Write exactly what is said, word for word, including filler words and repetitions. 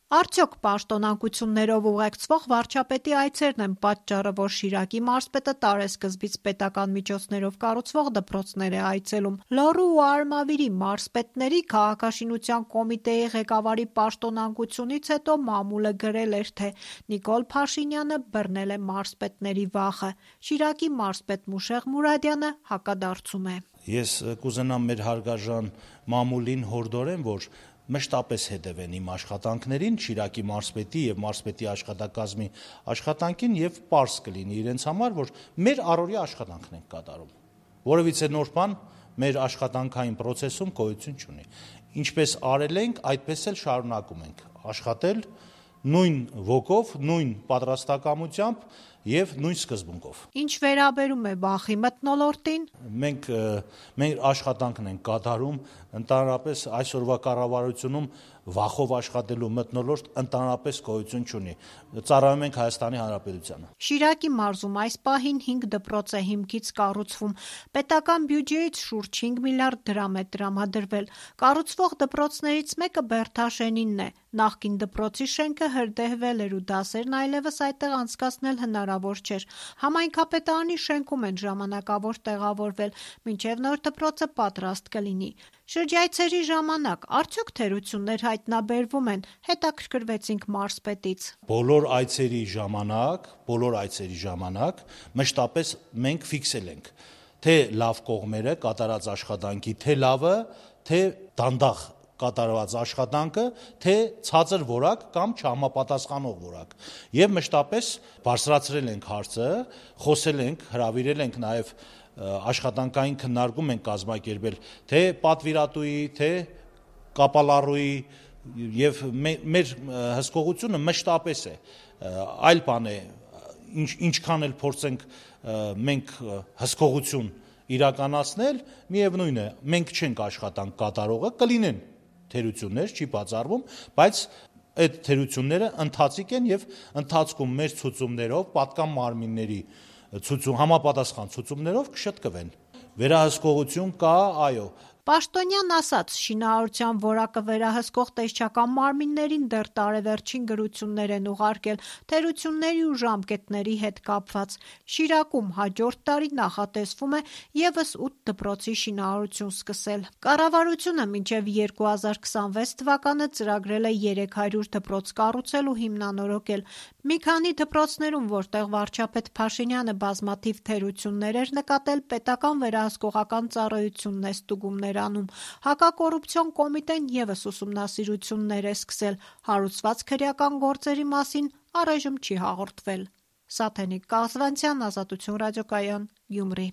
Արդյոք պաշտոնանկություններով ուղեկցվող վարչապետի այցերն են պատճառը, որ Շիրակի մարզպետը տարեսկզբից պետական միջոցներով կառուցվող դպրոցներ է այցելում։ Լոռու ու Արմավիրի մարզպետների քաղաքաշինության կոմիտեի ղեկավարի պաշտոնանկությունից հետո մամուլը գրել էր, թե Նիկոլ Փաշինյանը բռնել է մարզպետների վախը։ Շիրակի մարզպետ Մուշեղ Մուրադյանը հակադարձում է. Ես կուզենամ մեր հարգարժան մամուլին հորդորեմ, որ մշտապես հետևեն իմ աշխատանքներին, Շիրակի մարզպետի եւ մարզպետի աշխատակազմի աշխատանքին եւ պարզ կլինի իրենց համար, որ մեր առօրյա աշխատանքն ենք կատարում։ Որևիցե նոր բան մեր աշխատանքային process-ում գոյություն չունի։ Ինչպես արել ենք, այդպես էլ շարունակում ենք աշխատել նույն ոգով, նույն պատրաստակամությամբ եւ նույն սկզբունքով։ Ինչ վերաբերում է վախի մթնոլորտին, մենք մեր աշխատանքն ենք կատարում, ընդհանրապես այսօրվա կառավարությունում վախով աշխատելու մթնոլորտ ընդհանրապես գոյություն չունի։ Ծառայում ենք Հայաստանի Հանրապետությանը։ Շիրակի մարզում այս պահին հինգ դպրոց է հիմքից կառուցվում։ Պետական բյուջեից շուրջ հինգ միլիարդ դրամ է տրամադրվել։ Կառուցվող դպրոցներից մեկը Բերդաշենինն է։ Նախկին դպրոցի շենքը հրդեհվել էր ու դասերն այլևս այդտեղ անցկացնել հնարավոր չէր։ Համայնքապետարանի շենքում են ժամանակավոր տեղավորվել, մինչև նոր դպրոցը պատրաստ կլինի։ Շրջայցերի ժամանակ արդյոք թերություններ հայտնաբերվում են, հետաքրքրվեցինք մարզպետից։ Բոլոր այցերի ժամանակ, բոլոր այցերի ժամանակ մշտապես մենք ֆիքսել ենք թե լավ կողմերը կատարած աշխատանքի, թե լավը, թե դանդաղ կատարված աշխատանքը, թե ցածր որակ կամ չհամապատասխանող որակ։ Եվ մշտապես բարձրացրել ենք հարցը, խոսել ենք, հրավիրել ենք նաև աշխատանքային քննարկում ենք կազմակերպել թե պատվիրատուի, թե կապալառուի եւ մեր հսկողությունը մշտապես է։ Այլ բան է, ինչ ինչքան էլ փորձենք մենք հսկողություն իրականացնել, միևնույն է, մենք չենք աշխատանք կատարողը, կլինեն թերություններ, չի բացառվում, բայց այդ թերությունները ընթացիկ են եւ ընթացքում մեր ցուցումներով, պատկան մարմինների ցուցում համապատասխան ցուցումներով կշտկվեն։ Վերահսկողություն կա, այո։ Պաշտոնյան ասաց, շինարարության որակը վերահսկող տեսչական մարմիններին դեռ տարեվերջին գրություններ են ուղարկել թերությունների ու ժամկետների հետ կապված։ Շիրակում հաջորդ տարի նախատեսվում է ևս ութ դպրոցի շինարարություն սկսել։ Կառավարությունը մինչև երկու հազար քսանվեց թվականը ծրագրել է երեք հարյուր դպրոց կառուցել ու հիմնանորոգել։ Մի քանի դպրոցներում, որտեղ վարչապետ Փաշինյանը բազմաթիվ թերություններ էր նկատել, պետական վերահսկողական ծառայությունն է ստուգումներ անում։ Հակակոռուպցիոն կոմիտեն ևս ուսումնասիրություններ է սկսել։ Հարուցված քրեական գործերի մասին առայժմ չի հաղորդվել։ Սաթենիկ Կազվանցյան, Ազատություն ռադիոկայան, Գյումրի։